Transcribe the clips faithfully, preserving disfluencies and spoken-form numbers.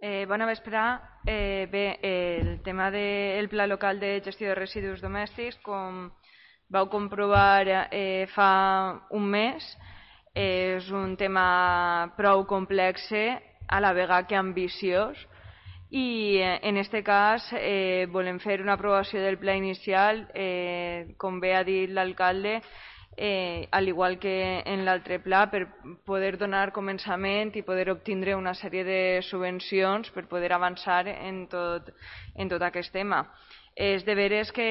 Eh, bona vesprà. Eh, bé, eh, el tema del Pla Local de Gestió de Residus Domèstics, com vau comprovar eh, fa un mes, eh, és un tema prou complex, a la vegada que ambiciós, i eh, en este cas eh, volem fer una aprovació del pla inicial, eh, com bé ha dit l'alcalde, eh, al igual que en l'altre pla, per poder donar començament i poder obtindre una sèrie de subvencions per poder avançar en tot, en tot aquest tema. És de veres que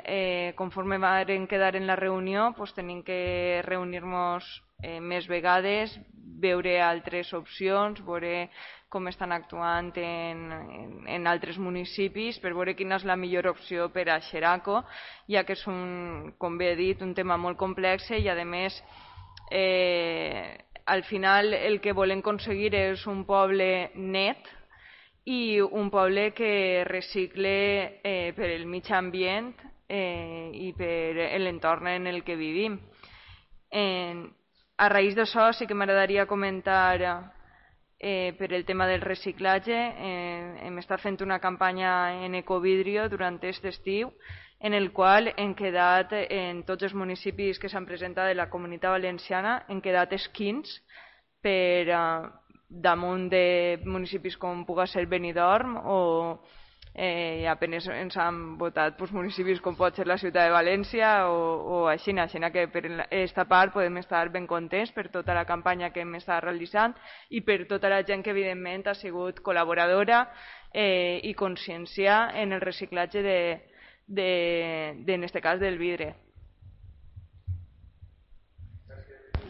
eh, conforme vam quedar en la reunió pues, tenim que reunir-nos eh, més vegades, veure altres opcions, veure com estan actuant en, en, en altres municipis per veure quina és la millor opció per a Xeraco, ja que és, un, com bé he dit, un tema molt complex i, a més, eh, al final el que volem aconseguir és un poble net i un poble que recicle eh, per el mig ambient eh, i per l'entorn en el que vivim. Eh, a raïs d'això sí que m'agradaria comentar eh, per el tema del reciclatge. Eh, hem estat fent una campanya en Ecovidrio durant aquest estiu, en el qual hem quedat, en tots els municipis que s'han presentat de la Comunitat Valenciana, hem quedat esquins per eh, damunt de municipis com puga ser Benidorm, o eh, apenas ens han votat pues, municipis com pot ser la ciutat de València o, o així, així que per aquesta part podem estar ben contents per tota la campanya que hem estat realitzant i per tota la gent que evidentment ha sigut col·laboradora eh, i conscienciar en el reciclatge de, de, de, en este cas del vidre.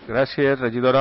Gràcies, regidora.